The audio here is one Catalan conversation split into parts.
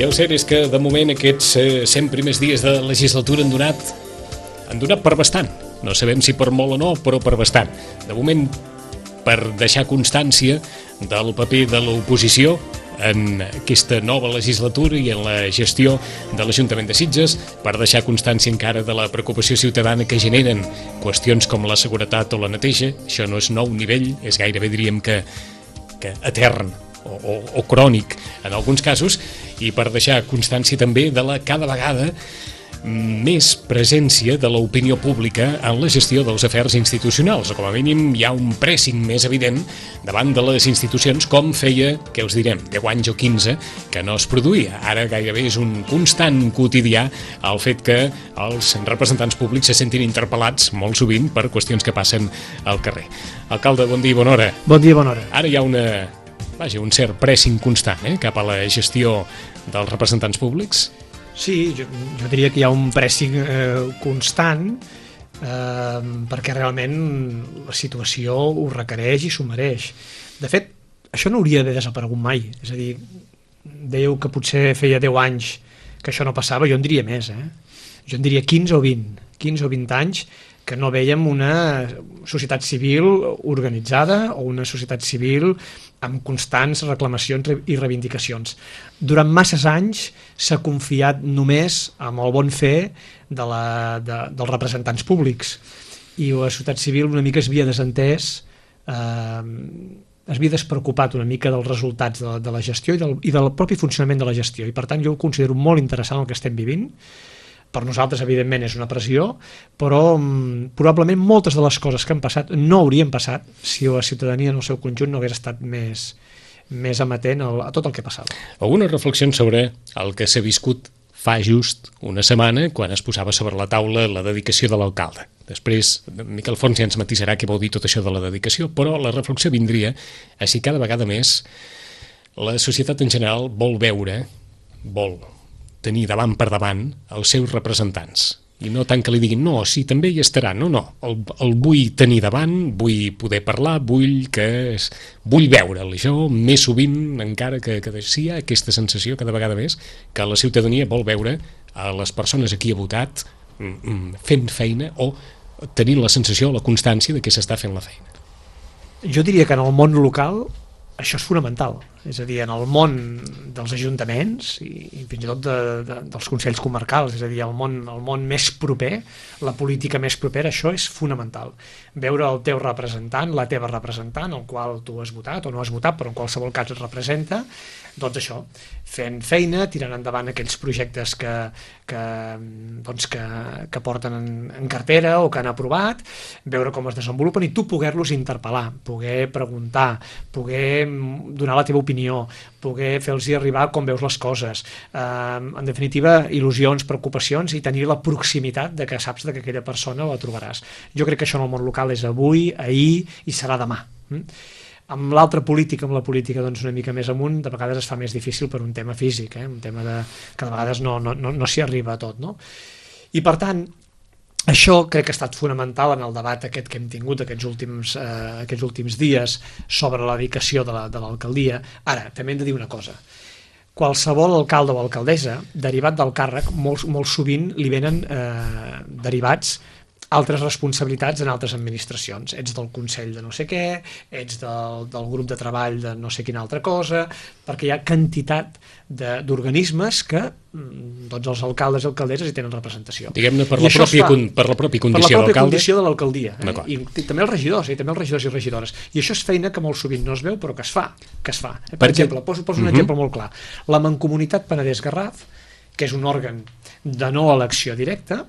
el cert és que, de moment, aquests 100 primers dies de legislatura han donat per bastant. No sabem si per molt o no, però per bastant. De moment, per deixar constància del paper de l'oposició en aquesta nova legislatura i en la gestió de l'Ajuntament de Sitges, per deixar constància encara de la preocupació ciutadana que generen qüestions com la seguretat o la neteja. Això no és nou nivell, és gairebé, diríem que etern o crònic en alguns casos, i per deixar constància també de la cada vegada més presència de l'opinió pública en la gestió dels afers institucionals, o com a mínim hi ha un pressing més evident davant de les institucions, com feia, què us direm, 10 anys o 15 que no es produïa. Ara gairebé és un constant quotidià el fet que els representants públics se sentin interpel·lats molt sovint per qüestions que passen al carrer. Alcalde, bon dia i bona hora. Bon dia i bona hora. Ara hi ha un cert pressing constant cap a la gestió dels representants públics. Sí, jo diria que hi ha un pressing constant perquè realment la situació ho requereix i s'ho mereix. De fet, això no hauria d'haver desaparegut mai. És a dir, dèieu que potser feia 10 anys que això no passava, jo en diria més. Jo en diria 15 o 20 anys que no vèiem una societat civil organitzada o una societat civil amb constants reclamacions i reivindicacions. Durant masses anys s'ha confiat només en el bon fer dels representants públics i la societat civil una mica es havia desentès, es havia despreocupat una mica dels resultats de la gestió i del propi funcionament de la gestió, i per tant jo ho considero molt interessant el que estem vivint. Per nosaltres, evidentment, és una pressió, però probablement moltes de les coses que han passat no haurien passat si la ciutadania en el seu conjunt no hagués estat més amatent a tot el que passava. Algunes reflexions sobre el que s'ha viscut fa just una setmana, quan es posava sobre la taula la dedicació de l'alcalde. Després, Miquel Fons ja ens matisarà què vol dir tot això de la dedicació, però la reflexió vindria a si cada vegada més la societat en general vol tenir davant per davant els seus representants. I no tant que li diguin, no, sí, també hi estarà. No, el vull tenir davant, vull poder parlar, vull veure'l. Això més sovint encara que sí, hi ha aquesta sensació cada vegada més que la ciutadania vol veure a les persones a qui ha votat fent feina o tenint la sensació o la constància de que s'està fent la feina. Jo diria que en el món local això és fonamental. És a dir, en el món dels ajuntaments i fins i tot dels consells comarcals, és a dir, el món més proper, la política més propera, això és fonamental. Veure el teu representant, la teva representant, el qual tu has votat o no has votat, però en qualsevol cas et representa, doncs això, fent feina, tirant endavant aquells projectes que porten en cartera o que han aprovat, veure com es desenvolupen i tu poder-los interpel·lar, poder preguntar, poder donar la teva opinió, poder fer-los arribar com veus les coses, en definitiva, il·lusions, preocupacions i tenir la proximitat de que saps que aquella persona la trobaràs. Jo crec que això en el món local és avui, ahir i serà demà. Amb l'altra política, amb la política una mica més amunt, de vegades es fa més difícil per un tema físic, un tema que de vegades no s'hi arriba a tot. I per tant, això crec que ha estat fonamental en el debat aquest que hem tingut aquests últims dies sobre la dedicació de l'alcaldia. Ara, també hem de dir una cosa. Qualsevol alcalde o alcaldessa, derivat del càrrec, molt sovint li venen derivats altres responsabilitats en altres administracions. Ets del Consell de no sé què, ets del grup de treball de no sé quina altra cosa, perquè hi ha quantitat d'organismes que els alcaldes i alcaldesses hi tenen representació. Diguem-ne per la pròpia condició d'alcalde. Per la pròpia condició de l'alcaldia. I també els regidors i regidores. I això és feina que molt sovint no es veu, però que es fa. Per exemple, poso un exemple molt clar. La Mancomunitat Penedès-Garraf, que és un òrgan de no elecció directa,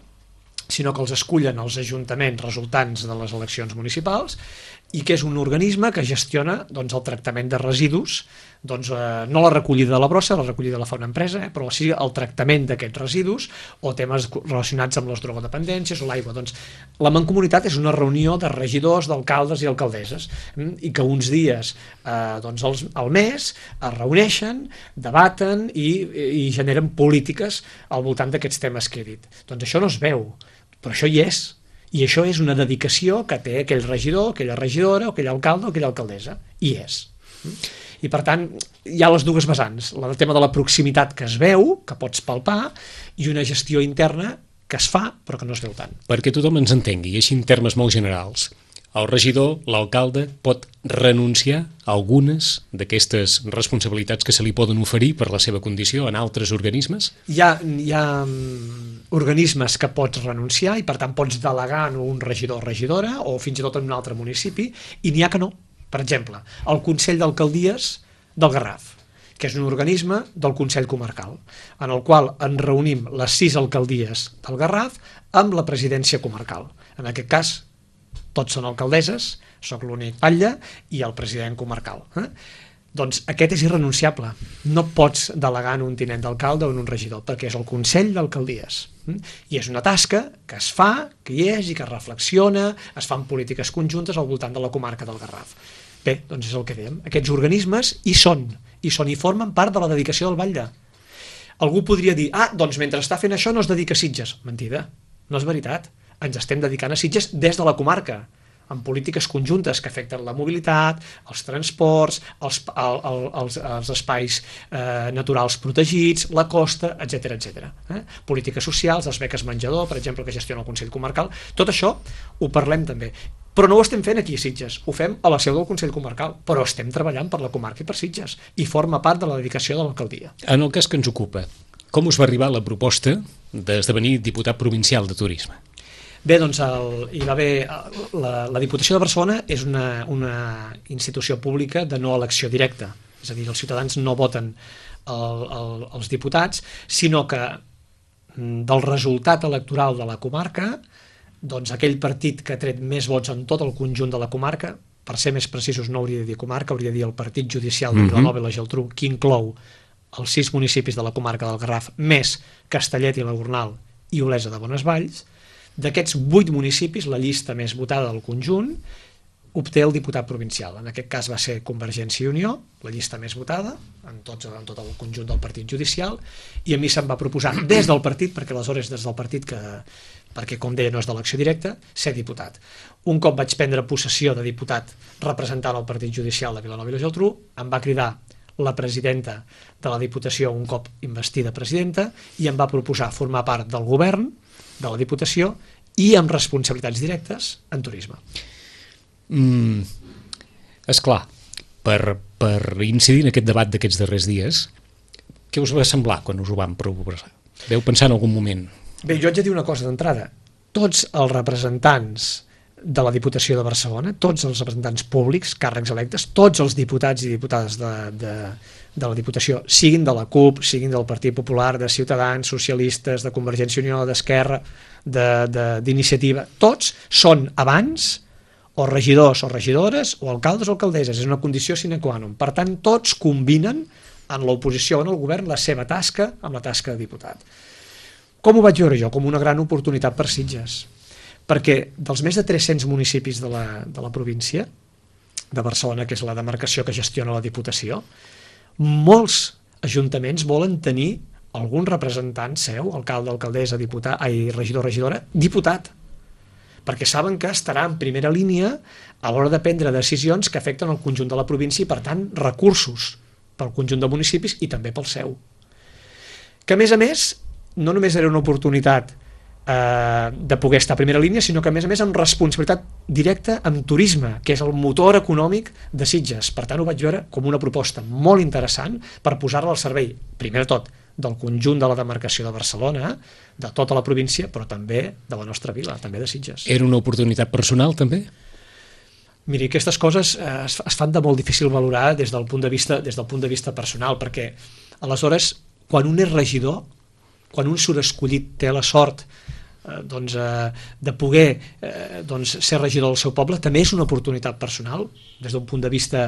sinó que els escullen els ajuntaments resultants de les eleccions municipals i que és un organisme que gestiona el tractament de residus, no la recollida de la brossa, la recollida la fa una empresa, però sí el tractament d'aquests residus o temes relacionats amb les drogodependències o l'aigua. La Mancomunitat és una reunió de regidors, d'alcaldes i alcaldesses i que uns dies al mes es reuneixen, debaten i generen polítiques al voltant d'aquests temes que he dit. Doncs això no es veu, però això hi és. I això és una dedicació que té aquell regidor, aquella regidora, o aquell alcalde o aquella alcaldessa. I és. I per tant hi ha les dues vessants, el tema de la proximitat que es veu, que pots palpar, i una gestió interna que es fa però que no es veu tant. Perquè tothom ens entengui, i així en termes molt generals, el regidor, l'alcalde, pot renunciar a algunes d'aquestes responsabilitats que se li poden oferir per la seva condició en altres organismes? Hi ha organismes que pots renunciar i per tant pots delegar en un regidor o regidora o fins i tot en un altre municipi, i n'hi ha que no. Per exemple, el Consell d'Alcaldies del Garraf, que és un organisme del Consell Comarcal, en el qual ens reunim les 6 alcaldies del Garraf amb la presidència comarcal. En aquest cas, tots són alcaldesses, sóc l'únic batlle i el president comarcal. Doncs aquest és irrenunciable. No pots delegar en un tinent d'alcalde o en un regidor, perquè és el Consell d'Alcaldies. I és una tasca que es fa, que hi és i que es reflexiona, es fan polítiques conjuntes al voltant de la comarca del Garraf. Bé, doncs és el que dèiem. Aquests organismes hi són i formen part de la dedicació del batlle. Algú podria dir, doncs mentre està fent això no es dedica a Sitges. Mentida, no és veritat. Ens estem dedicant a Sitges des de la comarca, amb polítiques conjuntes que afecten la mobilitat, els transports, els espais naturals protegits, la costa, etc. Polítiques socials, les beques menjador, per exemple, que gestiona el Consell Comarcal. Tot això ho parlem també. Però no ho estem fent aquí a Sitges, ho fem a la seu del Consell Comarcal, però estem treballant per la comarca i per Sitges, i forma part de la dedicació de l'alcaldia. En el cas que ens ocupa, com us va arribar la proposta d'esdevenir diputat provincial de turisme? Bé, doncs hi va haver... La Diputació de Barcelona és una institució pública de no elecció directa, és a dir, els ciutadans no voten els diputats, sinó que del resultat electoral de la comarca, doncs aquell partit que ha tret més vots en tot el conjunt de la comarca, per ser més precisos no hauria de dir comarca, hauria de dir el partit judicial de Vilanova i la Geltrú, que inclou els 6 municipis de la comarca del Garraf, més Castellet i la Gornal i Olesa de Bonesvalls. D'aquests 8 municipis, la llista més votada del conjunt obté el diputat provincial. En aquest cas va ser Convergència i Unió, la llista més votada, en tot el conjunt del partit judicial, i a mi se'm va proposar des del partit, perquè aleshores des del partit, perquè com deia no és d'elecció directa, ser diputat. Un cop vaig prendre possessió de diputat representant el partit judicial de Vilanova i la Geltrú, em va cridar la presidenta de la Diputació un cop investida presidenta i em va proposar formar part del govern de la Diputació i amb responsabilitats directes en turisme. Esclar, per incidir en aquest debat d'aquests darrers dies, què us va semblar quan us ho vam proposar? Veu pensar en algun moment? Bé, jo haig de dir una cosa d'entrada. Tots els representants de la Diputació de Barcelona, tots els representants públics, càrrecs electes, tots els diputats i diputades de la Diputació, siguin de la CUP, siguin del Partit Popular, de Ciutadans, socialistes, de Convergència i Unió, d'Esquerra, d'Iniciativa, tots són abans o regidors o regidores o alcaldes o alcaldesses, és una condició sine qua non. Per tant, tots combinen en l'oposició o en el govern la seva tasca amb la tasca de diputat. Com ho vaig veure jo? Com una gran oportunitat per Sitges. Perquè dels més de 300 municipis de la província de Barcelona, que és la demarcació que gestiona la Diputació, molts ajuntaments volen tenir algun representant seu, alcalde, alcaldessa, regidor, regidora, diputat, perquè saben que estarà en primera línia a l'hora de prendre decisions que afecten el conjunt de la província i, per tant, recursos pel conjunt de municipis i també pel seu. Que, a més, no només era una oportunitat de poder estar a primera línia, sinó que a més amb responsabilitat directa amb turisme, que és el motor econòmic de Sitges. Per tant, ho vaig veure com una proposta molt interessant per posar-la al servei, primer de tot, del conjunt de la demarcació de Barcelona, de tota la província, però també de la nostra vila, també de Sitges. Era una oportunitat personal, també? Miri, aquestes coses es fan de molt difícil valorar des del punt de vista personal, perquè aleshores, quan un és regidor, quan un surt escollit, té la sort de poder ser regidor del seu poble, també és una oportunitat personal, des d'un punt de vista,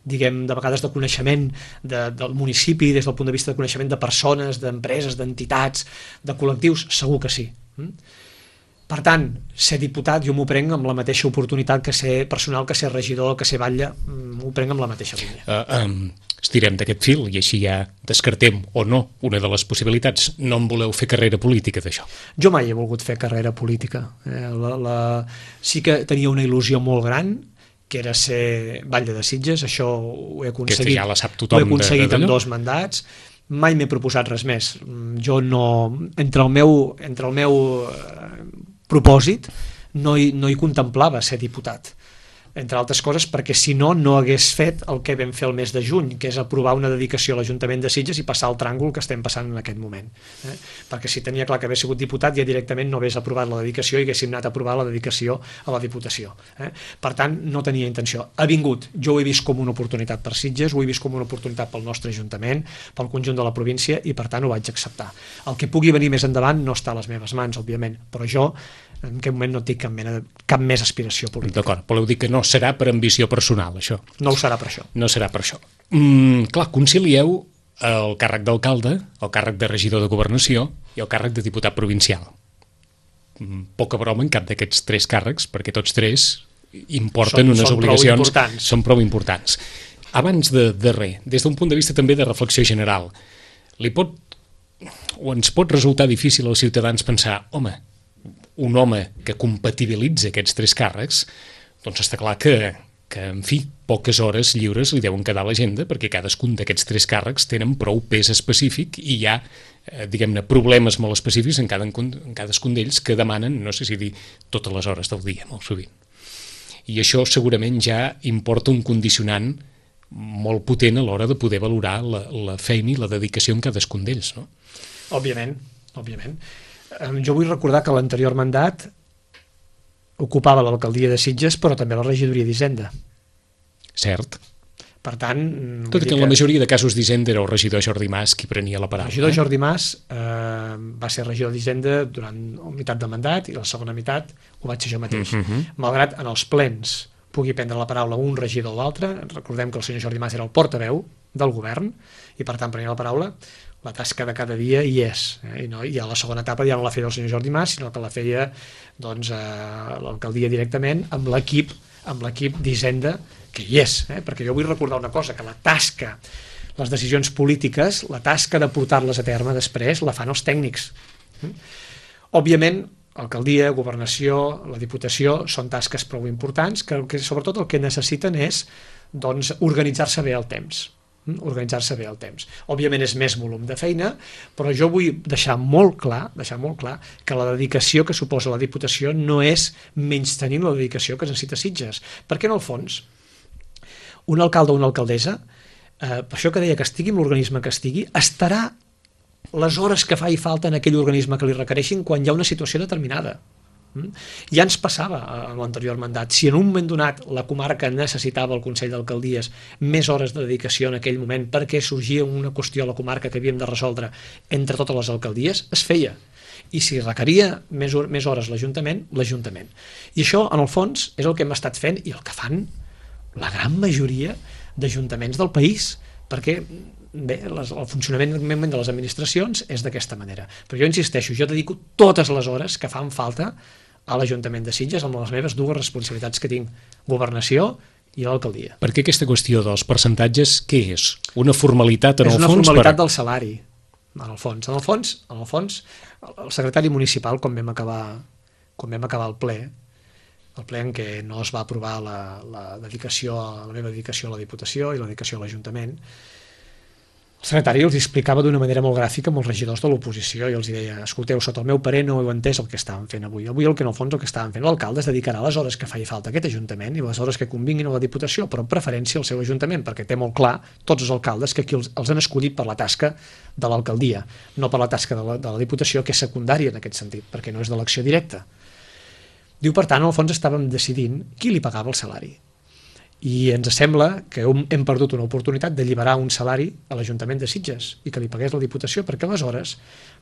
diguem, de vegades de coneixement del municipi, des del punt de vista de coneixement de persones, d'empreses, d'entitats, de col·lectius, segur que sí. Per tant, ser diputat jo m'ho prenc amb la mateixa oportunitat que ser personal, que ser regidor, que ser batlle, m'ho prenc amb la mateixa línia. Estirem d'aquest fil i així ja descartem o no una de les possibilitats. No en voleu fer carrera política d'això? Jo mai he volgut fer carrera política. Sí que tenia una il·lusió molt gran que era ser batlle de Sitges, això ho he aconseguit, aquesta ja la sap tothom, ho he aconseguit amb 2 mandats, mai m'he proposat res més. Jo no, entre el meu propòsit no hi contemplava ser diputat, entre altres coses perquè si no hagués fet el que vam fer el mes de juny, que és aprovar una dedicació a l'Ajuntament de Sitges i passar el tràngol que estem passant en aquest moment. Perquè si tenia clar que hagués sigut diputat ja directament no hagués aprovat la dedicació i haguéssim anat a aprovar la dedicació a la Diputació. Per tant, no tenia intenció. Ha vingut, jo ho he vist com una oportunitat per Sitges, ho he vist com una oportunitat pel nostre Ajuntament, pel conjunt de la província i per tant ho vaig acceptar. El que pugui venir més endavant no està a les meves mans, òbviament, però jo en aquest moment no tinc cap més aspiració política. D'acord, voleu dir que no serà per ambició personal, això? No ho serà per això. No serà per això. Clar, concilieu el càrrec d'alcalde, el càrrec de regidor de governació i el càrrec de diputat provincial. Poca broma en cap d'aquests 3 càrrecs, perquè tots 3 importen unes obligacions... Són prou importants. Abans de res, des d'un punt de vista també de reflexió general, ens pot resultar difícil als ciutadans pensar, un home que compatibilitza aquests 3 càrrecs, doncs està clar que en fi, poques hores lliures li deuen quedar a l'agenda, perquè cadascun d'aquests 3 càrrecs tenen prou pes específic i hi ha, diguem-ne, problemes molt específics en cadascun d'ells que demanen, no sé si dir, totes les hores del dia, molt sovint. I això segurament ja importa un condicionant molt potent a l'hora de poder valorar la feina i la dedicació en cadascun d'ells, no? Òbviament. Jo vull recordar que l'anterior mandat ocupava l'alcaldia de Sitges, però també la regidoria d'Hisenda. Cert. Per tant... Tot i que en la majoria de casos d'Hisenda era el regidor Jordi Mas qui prenia la paraula. El regidor Jordi Mas va ser regidor d'Hisenda durant la meitat de mandat i la segona meitat ho vaig ser jo mateix. Malgrat en els plens pugui prendre la paraula un regidor o l'altre, recordem que el senyor Jordi Mas era el portaveu del govern i per tant prenia la paraula, la tasca de cada dia hi és, i a la segona etapa ja no la feia el senyor Jordi Mas, sinó que la feia l'alcaldia directament amb l'equip d'Hisenda que hi és, perquè jo vull recordar una cosa, que la tasca, les decisions polítiques, la tasca de portar-les a terme després la fan els tècnics. Òbviament, alcaldia, governació, la Diputació són tasques prou importants que sobretot el que necessiten és organitzar-se bé el temps. Òbviament és més volum de feina, però jo vull deixar molt clar que la dedicació que suposa la Diputació no és menystenint la dedicació que es necessita Sitges, perquè en el fons un alcalde o una alcaldessa, per això que deia que estigui en l'organisme que estigui, estarà les hores que faci falta en aquell organisme que li requereixin quan hi ha una situació determinada. Ja ens passava en l'anterior mandat. Si en un moment donat la comarca necessitava el Consell d'Alcaldies més hores de dedicació en aquell moment perquè sorgia una qüestió a la comarca que havíem de resoldre entre totes les alcaldies, es feia. I si requeria més hores l'Ajuntament. I això, en el fons, és el que hem estat fent i el que fan la gran majoria d'ajuntaments del país, perquè bé, el funcionament de les administracions és d'aquesta manera. Però jo insisteixo, jo dedico totes les hores que fan falta a l'Ajuntament de Sitges amb les meves 2 responsabilitats que tinc, governació i l'alcaldia. Per què aquesta qüestió dels percentatges, què és? Una formalitat en el fons? És una formalitat del salari, en el fons. En el fons, el secretari municipal, quan vam acabar el ple en què no es va aprovar la meva dedicació a la Diputació i la dedicació a l'Ajuntament, el secretari els explicava d'una manera molt gràfica amb els regidors de l'oposició i els deia, escolteu, sota el meu parer no heu entès el que estàvem fent avui. Avui el que en el fons el que estàvem fent l'alcalde es dedicarà les hores que faci falta a aquest Ajuntament i les hores que convinguin a la Diputació, però en preferència al seu Ajuntament, perquè té molt clar tots els alcaldes que aquí els han escollit per la tasca de l'alcaldia, no per la tasca de la Diputació, que és secundària en aquest sentit, perquè no és d'elecció directa. Diu, per tant, al fons estàvem decidint qui li pagava el salari. I ens sembla que hem perdut una oportunitat d'alliberar un salari a l'Ajuntament de Sitges i que li pagués la Diputació, perquè aleshores,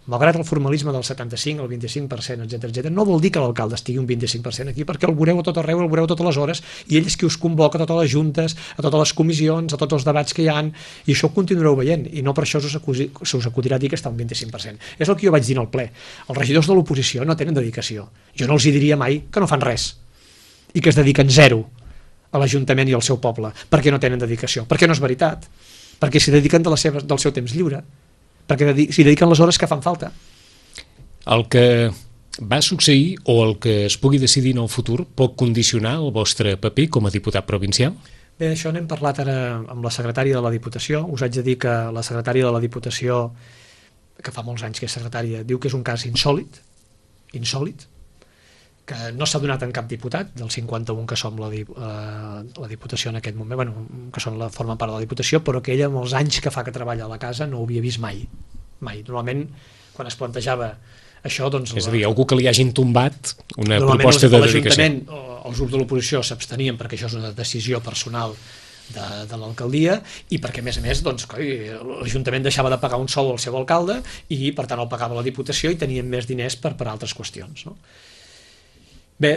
malgrat el formalisme del 75, el 25%, etc., no vol dir que l'alcalde estigui un 25% aquí, perquè el veureu a tot arreu, el veureu totes les hores, i ell és qui us convoca a totes les juntes, a totes les comissions, a tots els debats que hi ha, i això ho continuareu veient, i no per això se us acudirà dir que està un 25%. És el que jo vaig dir en el ple. Els regidors de l'oposició no tenen dedicació. Jo no els diria mai que no fan res, i que es dediquen zero a l'Ajuntament i al seu poble, perquè no tenen dedicació, perquè no és veritat, perquè s'hi dediquen del seu temps lliure, perquè s'hi dediquen les hores que fan falta. El que va succeir o el que es pugui decidir en el futur pot condicionar el vostre paper com a diputat provincial? Bé, això n'hem parlat ara amb la secretària de la Diputació. Us haig de dir que la secretària de la Diputació, que fa molts anys que és secretària, diu que és un cas insòlit, que no s'ha donat en cap diputat, del 51 que som la Diputació en aquest moment, que formen part de la Diputació, però que ella, amb els anys que fa que treballa a la casa, no ho havia vist mai. Normalment, quan es plantejava això, doncs... És a dir, algú que li hagin tombat una proposta de dedicació. L'Ajuntament, els grups de l'oposició s'abstenien perquè això és una decisió personal de l'alcaldia i perquè, a més, doncs, l'Ajuntament deixava de pagar un sou al seu alcalde i, per tant, el pagava la Diputació i tenien més diners per altres qüestions, no? Bé,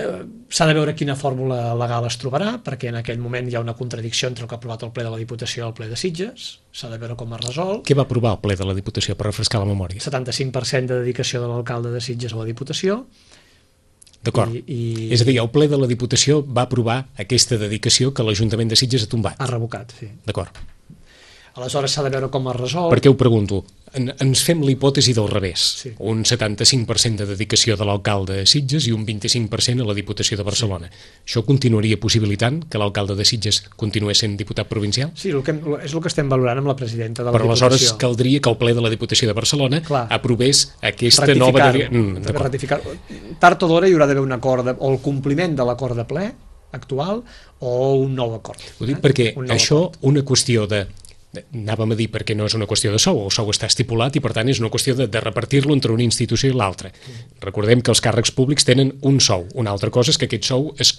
s'ha de veure quina fórmula legal es trobarà, perquè en aquell moment hi ha una contradicció entre el que ha aprovat el ple de la Diputació i el ple de Sitges. S'ha de veure com es resol. Què va aprovar el ple de la Diputació, per refrescar la memòria? 75% de dedicació de l'alcalde de Sitges a la Diputació. D'acord. És a dir, el ple de la Diputació va aprovar aquesta dedicació que l'Ajuntament de Sitges ha tombat. Ha revocat, sí. D'acord. Aleshores s'ha de veure com es resol. Per què ho pregunto? Ens fem la hipòtesi del revés. Sí. Un 75% de dedicació de l'alcalde de Sitges i un 25% a la Diputació de Barcelona. Sí. Això continuaria possibilitant que l'alcalde de Sitges continués sent diputat provincial? Sí, és el que estem valorant amb la presidenta de la Diputació. Però aleshores caldria que el ple de la Diputació de Barcelona aprovés aquesta nova... Ratificar. Tard o d'hora hi haurà d'haver un acord, o el compliment de l'acord de ple actual o un nou acord. Ho dic perquè això, una qüestió de... Anàvem a dir perquè no és una qüestió de sou, el sou està estipulat i per tant és una qüestió de repartir-lo entre una institució i l'altra. Recordem que els càrrecs públics tenen un sou, una altra cosa és que aquest sou es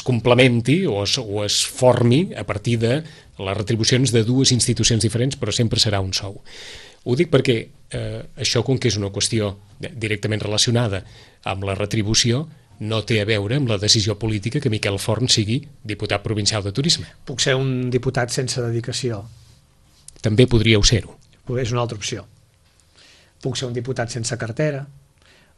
complementi o es formi a partir de les retribucions de dues institucions diferents, però sempre serà un sou. Ho dic perquè això, com que és una qüestió directament relacionada amb la retribució, no té a veure amb la decisió política que Miquel Forn sigui diputat provincial de turisme. Puc ser un diputat sense dedicació. També podríeu ser-ho. És una altra opció. Puc ser un diputat sense cartera.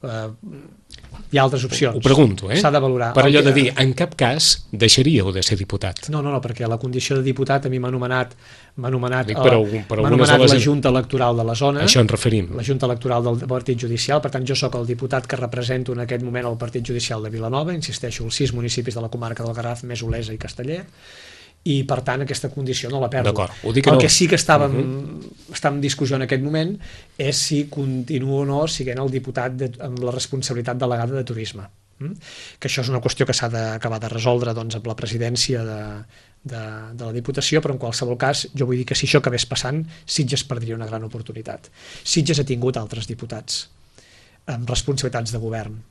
Hi ha altres opcions. Ho pregunto, S'ha de valorar. Per allò de dir, en cap cas deixaríeu de ser diputat. No, perquè a la condició de diputat a mi m'ha anomenat la Junta Electoral de la zona. Això ens referim. La Junta Electoral del Partit Judicial, per tant jo sóc el diputat que represento en aquest moment el Partit Judicial de Vilanova, insisteixo, els 6 municipis de la comarca del Garraf, més Olesa i Castellet, i per tant aquesta condició no la perdo. El que sí que estàvem en discussió en aquest moment és si continuo o no sent el diputat amb la responsabilitat delegada de turisme, que això és una qüestió que s'ha d'acabar de resoldre amb la presidència de la Diputació, però en qualsevol cas jo vull dir que si això acabés passant, Sitges perdria una gran oportunitat. Sitges ha tingut altres diputats amb responsabilitats de govern.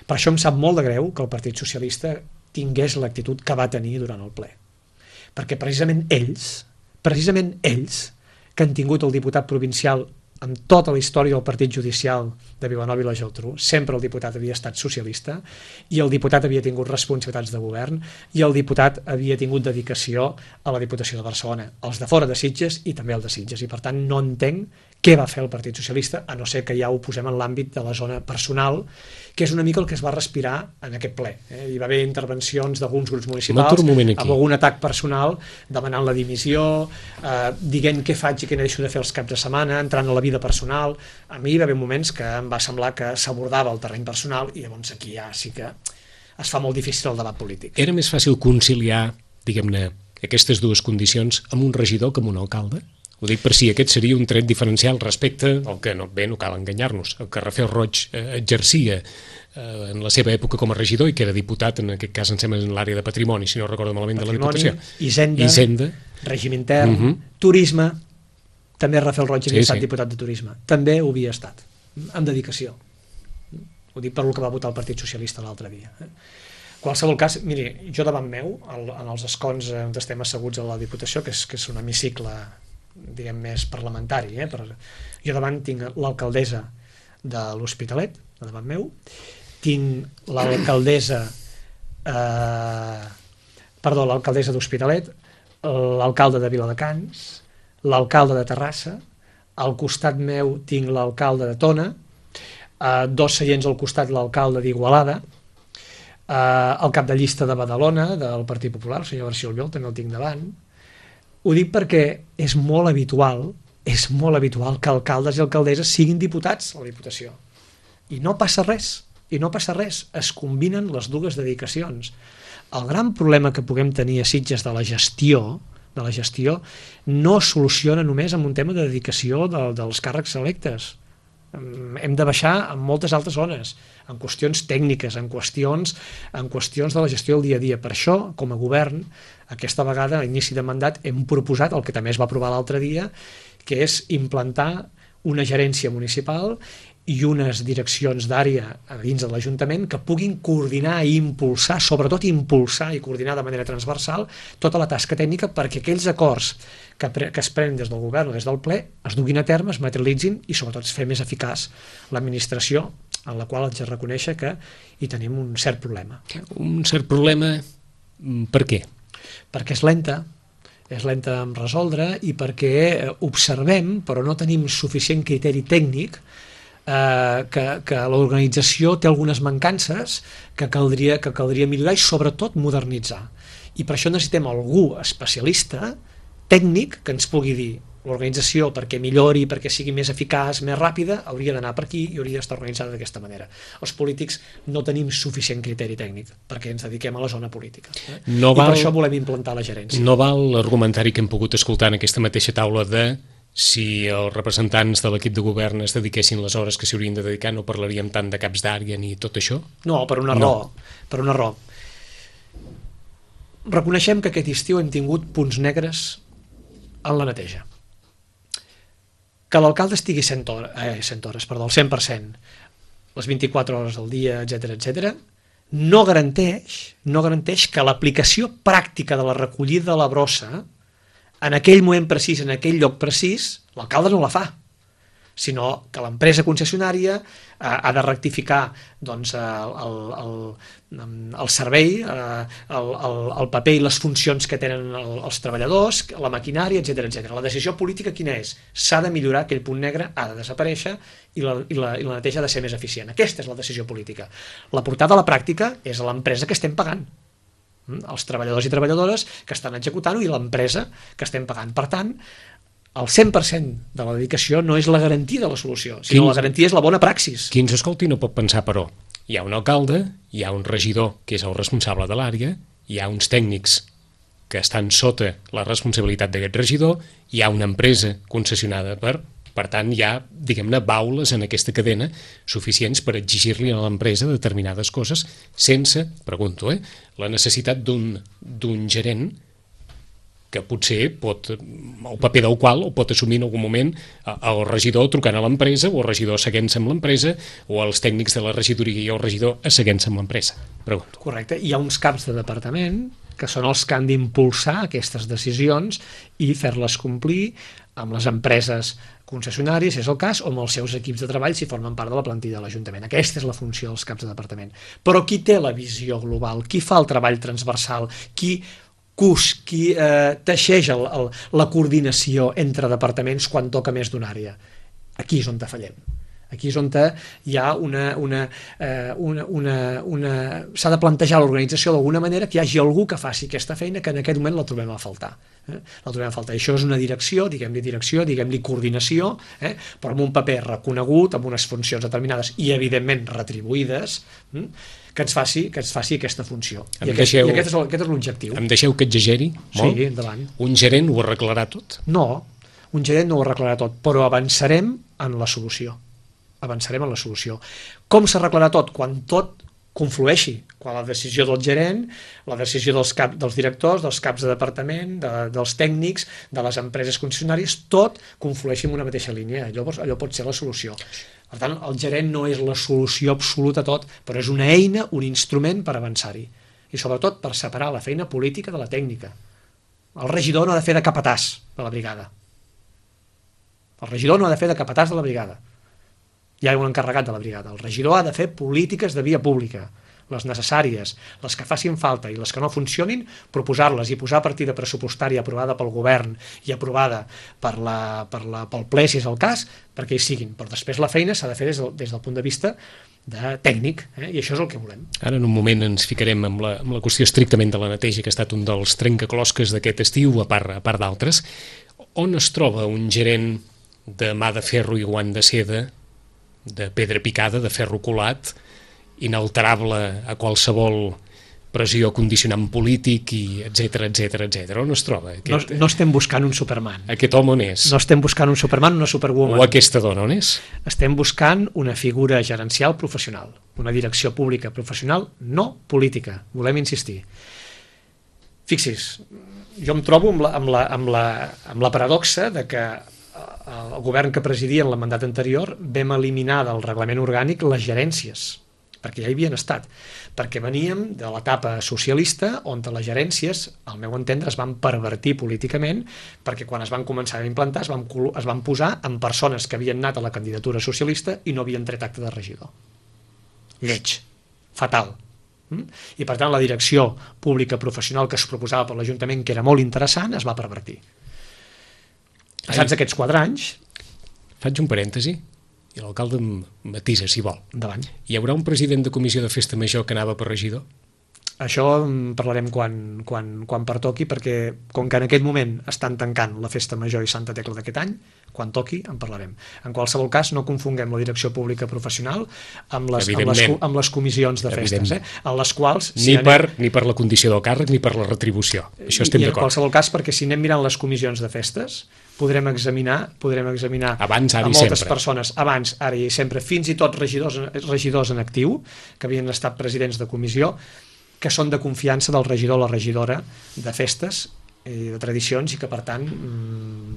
Per això em sap molt de greu que el Partit Socialista tingués l'actitud que va tenir durant el ple, perquè precisament ells que han tingut el diputat provincial en tota la història del Partit Judicial de Vilanova i la Geltrú, sempre el diputat havia estat socialista i el diputat havia tingut responsabilitats de govern i el diputat havia tingut dedicació a la Diputació de Barcelona, els de fora de Sitges i també el de Sitges, i per tant no entenc què va fer el Partit Socialista, a no ser que ja ho posem en l'àmbit de la zona personal, que és una mica el que es va respirar en aquest ple. Hi va haver intervencions d'alguns grups municipals amb algun atac personal, demanant la dimissió, dient què faig i què deixo de fer els caps de setmana, entrant a la vida personal. A mi hi va haver moments que em va semblar que s'abordava el terreny personal i llavors aquí ja sí que es fa molt difícil el debat polític. Era més fàcil conciliar, diguem-ne, aquestes dues condicions amb un regidor que amb un alcalde? Ho dic per si aquest seria un tret diferencial respecte al que, no cal enganyar-nos, el que Rafael Roig exercia en la seva època com a regidor i que era diputat, en aquest cas em sembla en l'àrea de patrimoni, si no recordo malament, de la Diputació. Hisenda, règim intern, turisme, també Rafael Roig havia estat diputat de turisme, també ho havia estat, amb dedicació. Ho dic per el que va votar el Partit Socialista l'altre dia. Qualsevol cas, miri, jo davant meu, en els escons on estem asseguts a la Diputació, que és un hemicicle diguem més parlamentari, però jo davant tinc l'alcaldessa de l'Hospitalet, davant meu, tinc l'alcaldessa d'Hospitalet, l'alcalde de Viladecans, l'alcalde de Terrassa, al costat meu tinc l'alcalde de Tona, 2 seients al costat l'alcalde d'Igualada, el cap de llista de Badalona del Partit Popular, el senyor García Albiol, també el tinc davant. Ho dic perquè és molt habitual que alcaldes i alcaldesses siguin diputats a la Diputació. I no passa res, es combinen les dues dedicacions. El gran problema que puguem tenir a Sitges de la gestió no es soluciona només amb un tema de dedicació dels càrrecs electes. Hem de baixar en moltes altres zones, en qüestions tècniques, en qüestions de la gestió del dia a dia. Per això, com a govern, aquesta vegada, a inici de mandat, hem proposat el que també es va aprovar l'altre dia, que és implantar una gerència municipal i unes direccions d'àrea dins de l'Ajuntament que puguin coordinar i impulsar, sobretot impulsar i coordinar de manera transversal tota la tasca tècnica perquè aquells acords que es prenen des del govern o des del ple es duguin a terme, es materialitzin i sobretot es fer més eficaç l'administració, en la qual haig de reconèixer que hi tenim un cert problema. Un cert problema, per què? Perquè és lenta en resoldre i perquè observem, però no tenim suficient criteri tècnic, que l'organització té algunes mancances que caldria millorar i sobretot modernitzar. I per això necessitem algú especialista, tècnic, que ens pugui dir l'organització perquè millori, perquè sigui més eficaç, més ràpida, hauria d'anar per aquí i hauria d'estar organitzada d'aquesta manera. Els polítics no tenim suficient criteri tècnic perquè ens dediquem a la zona política. I per això volem implantar la gerència. No val l'argumentari que hem pogut escoltar en aquesta mateixa taula de si els representants de l'equip de govern es dediquessin les hores que s'hi haurien de dedicar no parlaríem tant de caps d'àrea ni tot això? No, per una raó. Reconeixem que aquest estiu hem tingut punts negres en la neteja. Que l'alcalde estigui 100% les 24 hores del dia, etc, no garanteix que l'aplicació pràctica de la recollida de la brossa en aquell moment precís, en aquell lloc precís, l'alcalde no la fa, sinó que l'empresa concessionària ha de rectificar doncs, el servei, el paper i les funcions que tenen els treballadors, la maquinària, etc. La decisió política quina és? S'ha de millorar aquell punt negre, ha de desaparèixer i la neteja ha de ser més eficient. Aquesta és la decisió política. La portada a la pràctica és a l'empresa que estem pagant, els treballadors i treballadores que estan executant-ho i l'empresa que estem pagant. Per tant, el 100% de la dedicació no és la garantia de la solució, sinó la garantia és la bona praxis. Qui ens escolti no pot pensar, però, hi ha un alcalde, hi ha un regidor que és el responsable de l'àrea, hi ha uns tècnics que estan sota la responsabilitat d'aquest regidor, hi ha una empresa concessionada per tant, hi ha, diguem-ne, baules en aquesta cadena suficients per exigir-li a l'empresa determinades coses sense, pregunto, la necessitat d'un gerent que potser el paper del qual ho pot assumir en algun moment el regidor trucant a l'empresa o el regidor seguint-se amb l'empresa o els tècnics de la regidoria i el regidor seguint-se amb l'empresa. Pregunto. Correcte. Hi ha uns caps de departament que són els que han d'impulsar aquestes decisions i fer-les complir amb les empreses concessionàries, si és el cas, o amb els seus equips de treball si formen part de la plantilla de l'Ajuntament. Aquesta és la funció dels caps de departament. Però qui té la visió global? Qui fa el treball transversal? Qui teixeix la coordinació entre departaments quan toca més d'una àrea? Aquí és on fallem. Aquí és on hi ha s'ha de plantejar l'organització d'alguna manera que hi hagi algú que faci aquesta feina que en aquest moment la trobem a faltar. La trobem a faltar. Això és una direcció, diguem-li coordinació, però amb un paper reconegut, amb unes funcions determinades i evidentment retribuïdes, que ens faci aquesta funció. I aquest és l'objectiu. Em deixeu que exageri molt? Sí, endavant. Un gerent ho arreglarà tot? No, un gerent no ho arreglarà tot, però avançarem en la solució. Com s'arreglarà tot? Quan tot conflueixi, quan la decisió del gerent, la decisió dels directors, dels caps de departament, dels tècnics, de les empreses concessionàries, tot conflueixi en una mateixa línia. Allò pot ser la solució. Per tant, el gerent no és la solució absoluta a tot, però és una eina, un instrument per avançar-hi. I sobretot per separar la feina política de la tècnica. El regidor no ha de fer de capatàs de la brigada. El regidor no ha de fer de capatàs de la brigada. Hi ha un encarregat de la brigada. El regidor ha de fer polítiques de via pública, les necessàries, les que facin falta i les que no funcionin, proposar-les i posar partida pressupostària aprovada pel govern i aprovada pel ple, si és el cas, perquè hi siguin. Però després la feina s'ha de fer des del punt de vista tècnic, i això és el que volem. Ara en un moment ens ficarem amb la qüestió estrictament de la neteja, que ha estat un dels trencaclosques d'aquest estiu, a part d'altres. On es troba un gerent de mà de ferro i guant de seda de pedra picada, de ferro colat, inalterable a qualsevol pressió condicionant polític, i etc. On es troba? No estem buscant un Superman. Aquest home on és? No estem buscant un Superman, una Superwoman. O aquesta dona on és? Estem buscant una figura gerencial professional, una direcció pública professional, no política, volem insistir. Fixi's, jo em trobo amb la paradoxa de que el govern que presidia en el mandat anterior vam eliminar del reglament orgànic les gerències, perquè ja hi havien estat, perquè veníem de l'etapa socialista on les gerències, al meu entendre, es van pervertir políticament, perquè quan es van començar a implantar es van posar en persones que havien anat a la candidatura socialista i no havien tret acte de regidor. Lleig, fatal. I per tant la direcció pública professional que es proposava per l'Ajuntament, que era molt interessant, es va pervertir. Passats aquests 4 anys... Faig un parèntesi i l'alcalde em matisa, si vol. Endavant. Hi haurà un president de comissió de festa major que anava per regidor? Això en parlarem quan pertoqui, perquè com que en aquest moment estan tancant la festa major i Santa Tecla d'aquest any, quan toqui en parlarem. En qualsevol cas, no confonguem la direcció pública professional amb les comissions de festes, en les quals... Ni per la condició del càrrec ni per la retribució. Això estem d'acord. I en qualsevol cas, perquè si anem mirant les comissions de festes, podrem examinar abans, ara a i moltes sempre. Persones, abans, ara i sempre, fins i tot regidors en actiu, que havien estat presidents de comissió, que són de confiança del regidor o la regidora de festes i de tradicions, i que per tant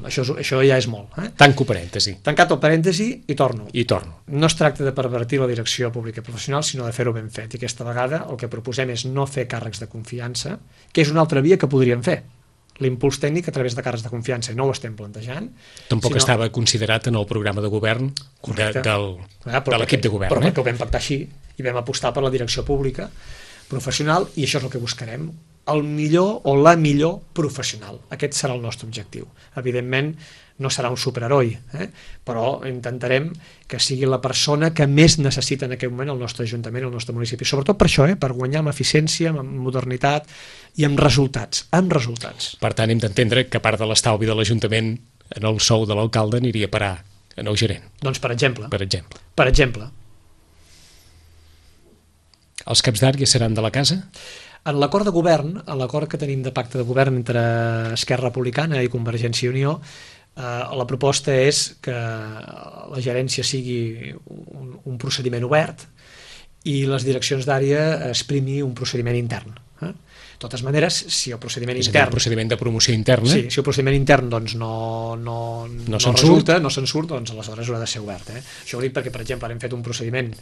això ja és molt. Tanco parèntesi. Tancat el parèntesi i torno. No es tracta de pervertir la direcció pública i professional, sinó de fer-ho ben fet, i aquesta vegada el que proposem és no fer càrrecs de confiança, que és una altra via que podríem fer, l'impuls tècnic a través de càrrecs de confiança, i no ho estem plantejant. Tampoc estava considerat en el programa de govern de l'equip de govern. Però perquè ho vam pactar així i vam apostar per la direcció pública professional, i això és el que buscarem, el millor o la millor professional. Aquest serà el nostre objectiu. Evidentment no serà un superheroi, però intentarem que sigui la persona que més necessita en aquest moment el nostre Ajuntament, el nostre municipi, sobretot per això, per guanyar amb eficiència, amb modernitat i amb resultats. Per tant, hem d'entendre que part de l'estalvi de l'Ajuntament en el sou de l'alcalde aniria a parar en el gerent. Doncs per exemple. Per exemple. Els caps d'àrea seran de la casa? En l'acord de govern, en l'acord que tenim de pacte de govern entre Esquerra Republicana i Convergència i Unió, la proposta és que la gerència sigui un procediment obert i les direccions d'àrea es primi un procediment intern. De totes maneres, si el procediment intern... És a dir, un procediment de promoció interna? Sí, si el procediment intern doncs, no se'n surt, doncs aleshores haurà de ser obert. Això ho dic perquè, per exemple, hem fet un procediment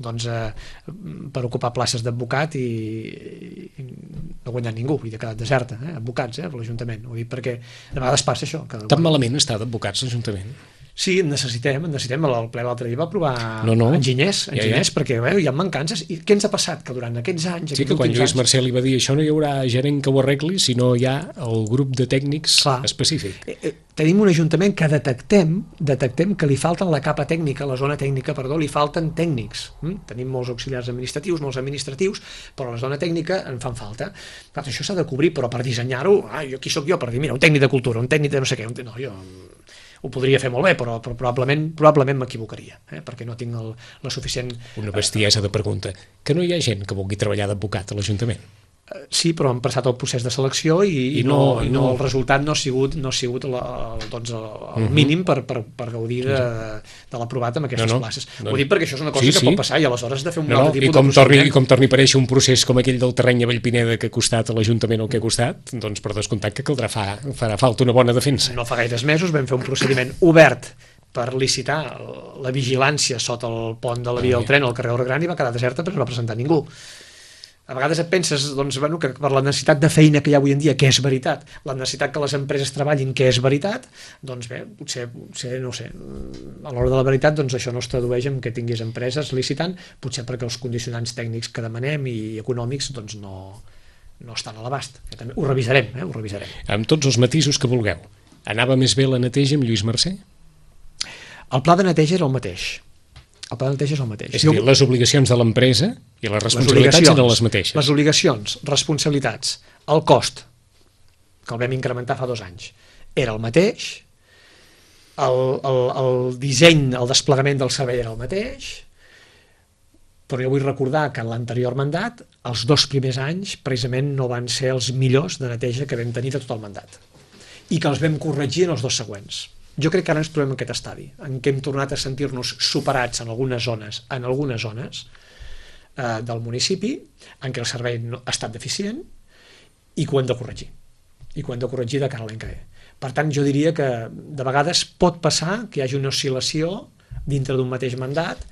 per ocupar places d'advocat i no ha guanyat ningú, i ha quedat deserta, advocats, per l'Ajuntament. Ho dic perquè de vegades passa això. Tan malament està d'advocats l'Ajuntament? Sí, en necessitem. El ple l'altre dia va aprovar enginyers, perquè hi ha mancances. I què ens ha passat? Que durant aquests anys... Sí, que quan Lluís Marcel li va dir això no hi haurà gerent que ho arregli, sinó hi ha el grup de tècnics específic. Tenim un ajuntament que detectem que li falten la capa tècnica, la zona tècnica, li falten tècnics. Tenim molts auxiliars administratius, però a la zona tècnica en fan falta. Clar, això s'ha de cobrir, però per dissenyar-ho, qui sóc jo per dir, mira, un tècnic de cultura, un tècnic de no sé què, no, jo ho podria fer molt bé, però probablement m'equivocaria, perquè no tinc la suficient... Una bestiesa de pregunta. Que no hi ha gent que vulgui treballar d'advocat a l'Ajuntament? Sí, però han passat el procés de selecció i el resultat no ha sigut el mínim per gaudir de l'aprovat amb aquestes places. Ho dic perquè això és una cosa que pot passar i aleshores has de fer un altre tipus de procediment. I com torni a aparèixer un procés com aquell del terreny a Vallpineda que ha costat a l'Ajuntament el que ha costat, doncs per descomptat que farà falta una bona defensa. No fa gaires mesos vam fer un procediment obert per licitar la vigilància sota el pont de la via del tren al carrer Orgran i va quedar deserta perquè no va presentar ningú. A vegades et penses que per la necessitat de feina que hi ha avui en dia, que és veritat, la necessitat que les empreses treballin, que és veritat, doncs bé, potser no ho sé, a l'hora de la veritat doncs això no es tradueix en que tinguis empreses licitant, potser perquè els condicionants tècnics que demanem i econòmics doncs no estan a l'abast. Ho revisarem. Amb tots els matisos que vulgueu. Anava més bé la neteja amb Lluís Mercè? El pla de neteja era el mateix. És a dir, les obligacions de l'empresa i les responsabilitats eren les mateixes. Les obligacions, responsabilitats, el cost, que el vam incrementar fa 2 anys, era el mateix, el disseny, el desplegament del servei era el mateix, però jo vull recordar que en l'anterior mandat els 2 primers anys precisament no van ser els millors de neteja que vam tenir de tot el mandat i que els vam corregir en els 2 següents. Jo crec que ara ens trobem en aquest estadi, en què hem tornat a sentir-nos superats en algunes zones del municipi, en què el servei ha estat deficient i que ho hem de corregir. I que ho hem de corregir de cara a l'any que ve. Per tant, jo diria que de vegades pot passar que hi hagi una oscil·lació dintre d'un mateix mandat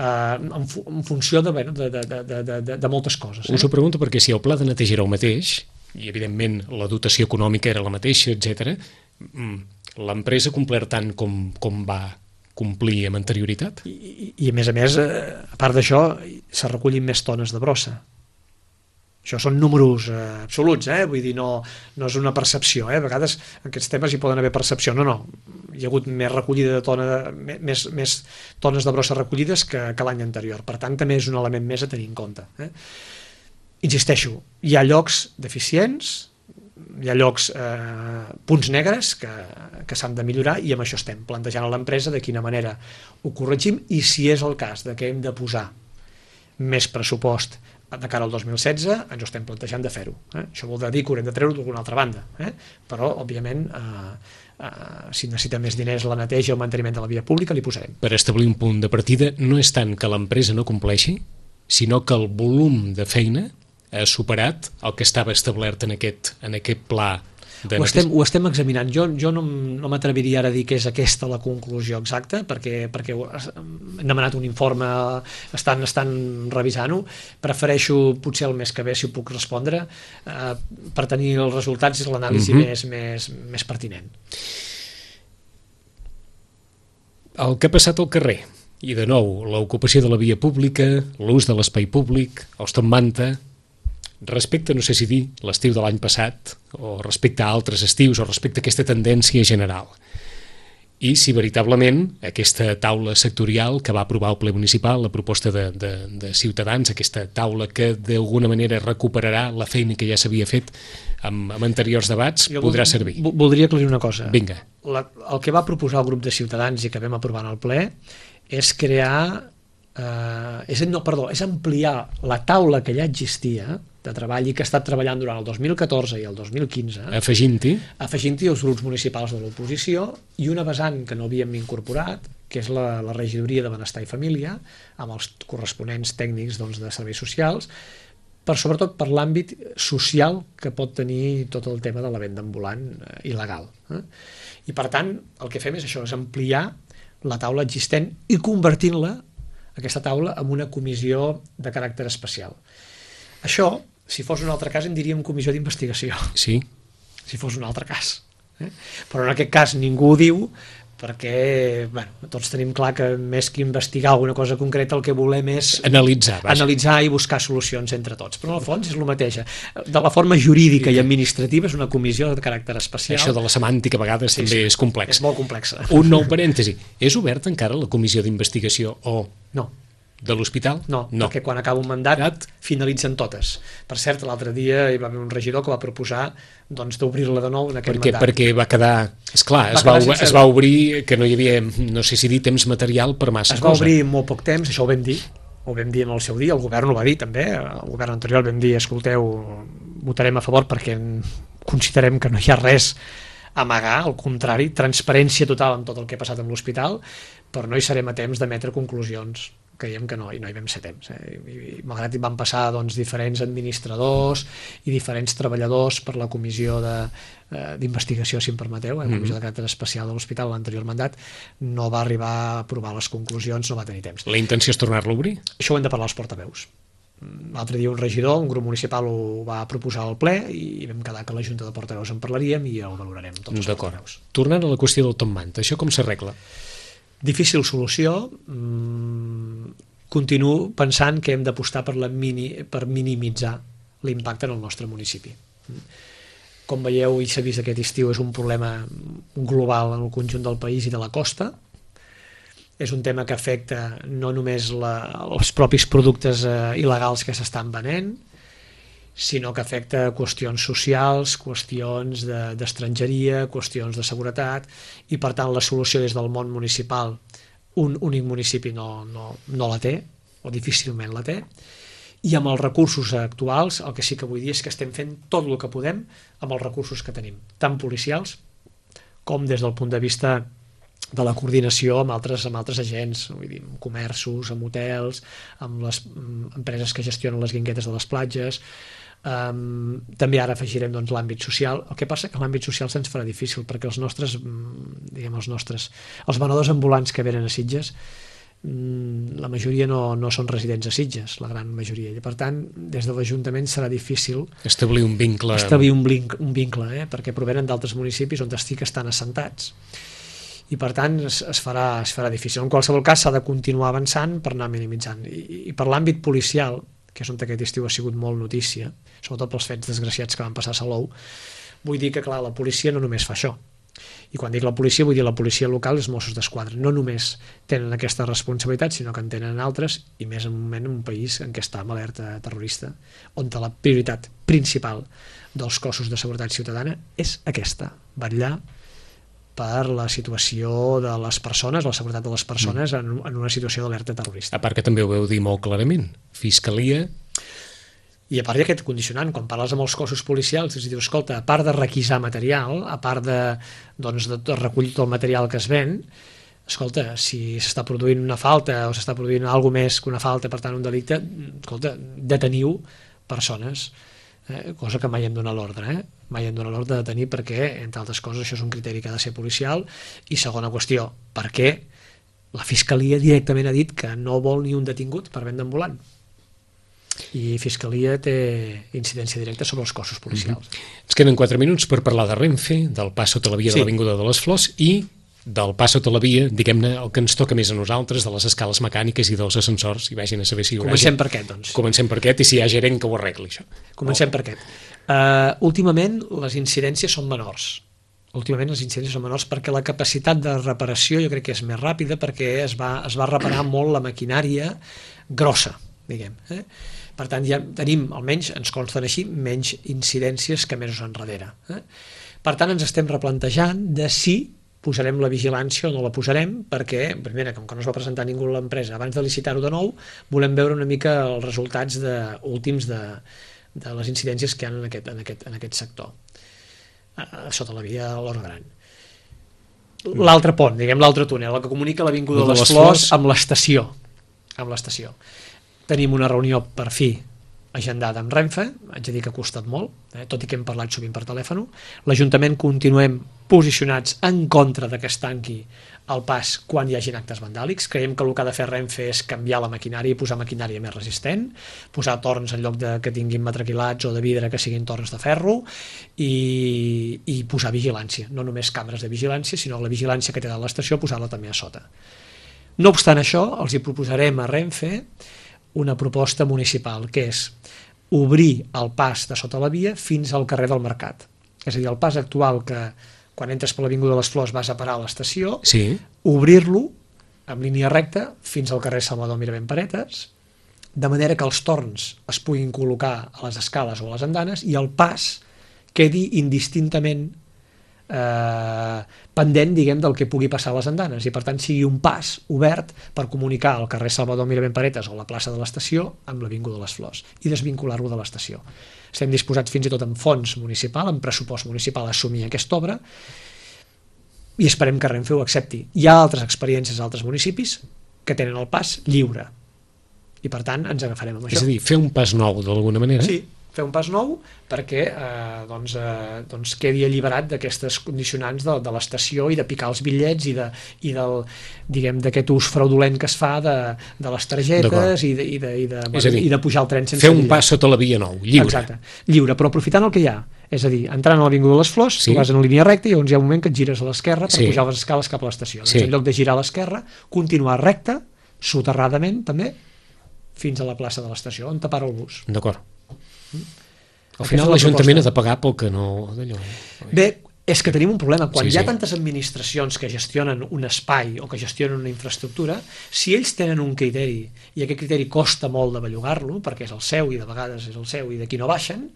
en funció de moltes coses. Us ho pregunto perquè si el pla de neteja era el mateix, i evidentment la dotació econòmica era la mateixa, etc., l'empresa ha complert tant com va complir amb anterioritat? I a més, a part d'això, se recullin més tones de brossa. Això són números absoluts, vull dir, no és una percepció, a vegades en aquests temes hi poden haver percepció, no, hi ha hagut més recollida de més tones de brossa recollides que l'any anterior, per tant també és un element més a tenir en compte. Insisteixo, hi ha llocs deficients, hi ha llocs, punts negres que s'han de millorar i amb això estem plantejant a l'empresa de quina manera ho corregim i si és el cas de que hem de posar més pressupost de cara al 2016, ens ho estem plantejant de fer-ho. Això vol dir que haurem de treure-ho d'alguna altra banda, però, òbviament, si necessita més diners la neteja o el manteniment de la via pública, li posarem. Per establir un punt de partida, no és tant que l'empresa no compleixi, sinó que el volum de feina ha superat el que estava establert en aquest pla de neteja. Ho estem examinant. Jo no m'atreviria ara a dir que és aquesta la conclusió exacta, perquè hem demanat un informe, estan revisant-ho. Prefereixo potser el mes que ve, si ho puc respondre, per tenir els resultats i l'anàlisi més pertinent. El que ha passat al carrer, i de nou, l'ocupació de la via pública, l'ús de l'espai públic, els top manta, respecte, no sé si dir, l'estiu de l'any passat, o respecte a altres estius, o respecte a aquesta tendència general. I si veritablement aquesta taula sectorial que va aprovar el ple municipal, la proposta de Ciutadans, aquesta taula que d'alguna manera recuperarà la feina que ja s'havia fet amb anteriors debats, podrà servir. Voldria aclarir una cosa. Vinga. El que va proposar el grup de Ciutadans i que vam aprovar en el ple és crear... és ampliar la taula que ja existia de treball i que ha estat treballant durant el 2014 i el 2015, afegint-hi els grups municipals de l'oposició i una vessant que no havíem incorporat, que és la regidoria de Benestar i Família, amb els corresponents tècnics de serveis socials, sobretot per l'àmbit social que pot tenir tot el tema de la venda ambulant il·legal. I per tant, el que fem és això, és ampliar la taula existent i convertint-la, aquesta taula, en una comissió de caràcter especial. Això, si fos un altre cas, en diríem comissió d'investigació. Sí. Si fos un altre cas. Però en aquest cas ningú ho diu perquè tots tenim clar que més que investigar alguna cosa concreta el que volem és analitzar i buscar solucions entre tots. Però en el fons és el mateix. De la forma jurídica i administrativa és una comissió de caràcter especial. Això de la semàntica a vegades també és complex. És molt complexa. Un nou parèntesi. És oberta encara la comissió d'investigació o... No. De l'hospital? No, perquè quan acaba un mandat finalitzen totes. Per cert, l'altre dia hi va haver un regidor que va proposar d'obrir-la de nou en aquest mandat. Perquè va quedar... Esclar, es va obrir que no hi havia, no sé si dir, temps material per massa cosa. Es va obrir en molt poc temps, això ho vam dir en el seu dia, el govern ho va dir també, el govern anterior vam dir, escolteu, votarem a favor perquè considerem que no hi ha res a amagar, al contrari, transparència total en tot el que ha passat amb l'hospital, però no hi serem a temps d'emetre conclusions. Creiem que no, i no hi vam ser temps. I malgrat van passar diferents administradors i diferents treballadors per la comissió d'investigació, si em permeteu, la comissió de caràcter especial de l'hospital, l'anterior mandat, no va arribar a aprovar les conclusions, no va tenir temps. La intenció és tornar-lo a obrir? Això ho hem de parlar als portaveus. L'altre dia un regidor, un grup municipal ho va proposar al ple i vam quedar que la Junta de Portaveus en parlaríem i el valorarem tots els portaveus. Tornant a la qüestió del top manta, això com s'arregla? Difícil solució. Continuo pensant que hem d'apostar per minimitzar l'impacte en el nostre municipi. Com veieu i s'ha vist aquest estiu, és un problema global en el conjunt del país i de la costa. És un tema que afecta no només els propis productes il·legals que s'estan venent, sinó que afecta qüestions socials, qüestions d'estrangeria, qüestions de seguretat, i per tant la solució des del món municipal, un únic municipi no la té, o difícilment la té, i amb els recursos actuals el que sí que vull dir és que estem fent tot el que podem amb els recursos que tenim, tant policials com des del punt de vista de la coordinació amb altres agents, vull dir, amb comerços, amb hotels, amb les empreses que gestionen les guinguetes de les platges. També ara afegirem l'àmbit social. El que passa que l'àmbit social se'ns farà difícil perquè els venedors ambulants que venen a Sitges, la majoria no són residents a Sitges, la gran majoria, i per tant des de l'Ajuntament serà difícil establir un vincle, perquè provenen d'altres municipis on estan assentats, i per tant es farà difícil. En qualsevol cas s'ha de continuar avançant per anar minimitzant, i per l'àmbit policial, que és on aquest estiu ha sigut molt notícia, sobretot pels fets desgraciats que van passar a Salou, vull dir que clar, la policia no només fa això. I quan dic la policia, vull dir la policia local i els Mossos d'Esquadra. No només tenen aquesta responsabilitat, sinó que en tenen altres, i més en un moment en un país en què està amb alerta terrorista, on la prioritat principal dels cossos de seguretat ciutadana és aquesta, vetllar per la situació de les persones, la seguretat de les persones en una situació d'alerta terrorista. A part que també ho veu dir molt clarament, Fiscalia... I a part hi ha aquest condicionant, quan parles amb els cossos policials, és a dir, escolta, a part de requisar material, a part de recollir tot el material que es ven, escolta, si s'està produint una falta o s'està produint alguna més que una falta, per tant un delicte, escolta, deteniu persones, cosa que mai hem donat l'ordre, mai hem donat l'ordre de detenir perquè, entre altres coses, això és un criteri que ha de ser policial. I segona qüestió, per què la Fiscalia directament ha dit que no vol ni un detingut per venda ambulant? I Fiscalia té incidència directa sobre els cossos policials. Ens queden 4 minuts per parlar de Renfe, del pas sota la via de l'Avinguda de les Flors i del pas sota la via, diguem-ne, el que ens toca més a nosaltres, de les escales mecàniques i dels ascensors, i vagin a saber si hi haurà... Comencem per aquest, doncs. Comencem per aquest, i si hi ha gerent que ho arregli, això. Comencem per aquest. Últimament, les incidències són menors. Perquè la capacitat de reparació jo crec que és més ràpida, perquè es va reparar molt la maquinària grossa, diguem. Per tant, ja tenim, almenys ens consten així, menys incidències que mesos enrere. Per tant, ens estem replantejant de si posarem la vigilància o no la posarem, perquè, primera, com que no es va presentar ningú a l'empresa, abans de licitar-ho de nou, volem veure una mica els resultats últims de les incidències que hi ha en aquest sector, sota la via de l'Horta Gran. L'altre pont, diguem l'altre túnel, el que comunica l'Avinguda de les Flors amb l'estació. Tenim una reunió per fi agendada amb Renfe, haig de dir que ha costat molt, tot i que hem parlat sovint per telèfon. L'Ajuntament continuem posicionats en contra que es tanqui el pas quan hi hagin actes vandàlics. Creiem que el que ha de fer Renfe és canviar la maquinària i posar maquinària més resistent, posar torns en lloc que tinguin matraquilats o de vidre que siguin torns de ferro, i posar vigilància, no només càmeres de vigilància, sinó la vigilància que té de l'estació, posar-la també a sota. No obstant això, els hi proposarem a Renfe una proposta municipal, que és obrir el pas de sota la via fins al carrer del Mercat. És a dir, el pas actual que quan entres per l'Avinguda de les Flors vas a parar a l'estació, obrir-lo en línia recta fins al carrer Salvador Mirabent Paretes, de manera que els torns es puguin col·locar a les escales o a les andanes i el pas quedi indistintament pendent, diguem, del que pugui passar a les andanes, i per tant sigui un pas obert per comunicar el carrer Salvador Mirabent Paretes o la plaça de l'estació amb l'Avinguda de les Flors i desvincular-lo de l'estació. Estem disposats fins i tot en fons municipal, en pressupost municipal, a assumir aquesta obra, i esperem que Renfe ho accepti. Hi ha altres experiències a altres municipis que tenen el pas lliure, i per tant ens agafarem amb això. És a dir, fer un pas nou d'alguna manera? Sí, fer un pas nou perquè quedi alliberat d'aquestes condicionants de l'estació i de picar els bitllets i d'aquest ús fraudulent que es fa de les targetes i de pujar el tren sense fer un pas sota la via nou, lliure. Exacte, lliure, però aprofitant el que hi ha. És a dir, entrant a l'Avinguda de les Flors, tu vas en línia recta i llavors hi ha un moment que et gires a l'esquerra per pujar les escales cap a l'estació. Doncs en lloc de girar a l'esquerra, continuar recte, soterradament també, fins a la plaça de l'estació, on te para el bus. D'acord. Al final l'Ajuntament ha de pagar pel que no... Bé, És que tenim un problema. Quan Sí, hi ha sí. tantes administracions que gestionen un espai o que gestionen una infraestructura, si ells tenen un criteri i aquest criteri costa molt de bellugar-lo, perquè és el seu i de vegades és el seu i d'aquí no baixen,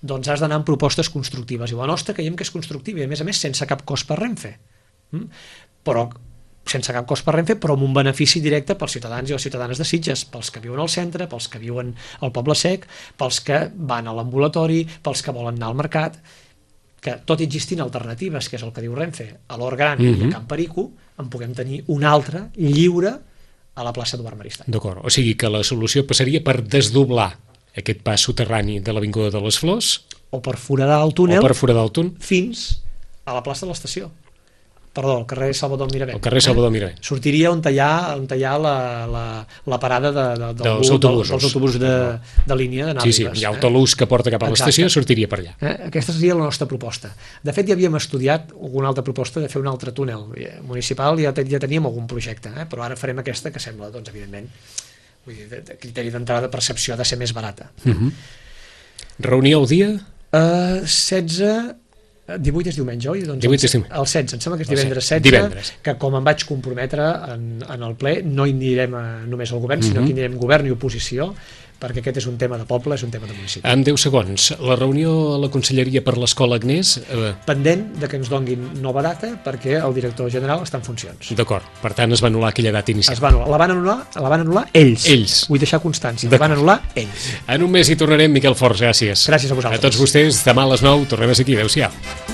doncs has d'anar amb propostes constructives. I la nostra creiem que és constructiva i, a més, sense cap cost per Renfe. Però sense cap cost per Renfe, però amb un benefici directe pels ciutadans i les ciutadanes de Sitges, pels que viuen al centre, pels que viuen al Poble Sec, pels que van a l'ambulatori, pels que volen anar al mercat, que tot existint alternatives, que és el que diu Renfe, a l'Hort Gran i a Can Perico, en puguem tenir una altra lliure a la plaça Eduard Maristany. D'acord, o sigui que la solució passaria per desdoblar aquest pas soterrani de l'Avinguda de les Flors O per foradar el túnel o per foradar el túnel, fins a la plaça de l'estació. Perdó, al carrer Salvador Mirabent. al carrer Salvador Mirabent. Sortiria on hi ha la parada Dels autobusos. dels autobusos de línia d'anar a Sí, Ribes. hi ha autobús que porta cap a l'estació, sortiria per allà. Aquesta seria la nostra proposta. De fet, ja havíem estudiat alguna altra proposta de fer un altre túnel municipal, ja teníem algun projecte, però ara farem aquesta que sembla, doncs, evidentment, vull dir, de criteri d'entrada de percepció ha de ser més barata. Reunió el dia? 18 és diumenge, oi? Doncs 18 és diumenge. el 16, em sembla que és El divendres 16, 16, divendres. que com em vaig comprometre en el ple, no hi anirem només al govern, sinó que hi anirem govern i oposició, perquè aquest és un tema de poble, és un tema de municipi. En 10 segons, la reunió a la Conselleria per l'Escola Agnès, Pendent de que ens donguin nova data, perquè el director general està en funcions. d'acord, per tant es va anul·lar aquella data inicial. La van anul·lar ells. Ells. Vull deixar constància, la van anul·lar ells. En un mes hi tornarem, Miquel Forns, gràcies. Gràcies a vosaltres. A tots vostès, demà a les 9 tornem a ser aquí, adéu-siau.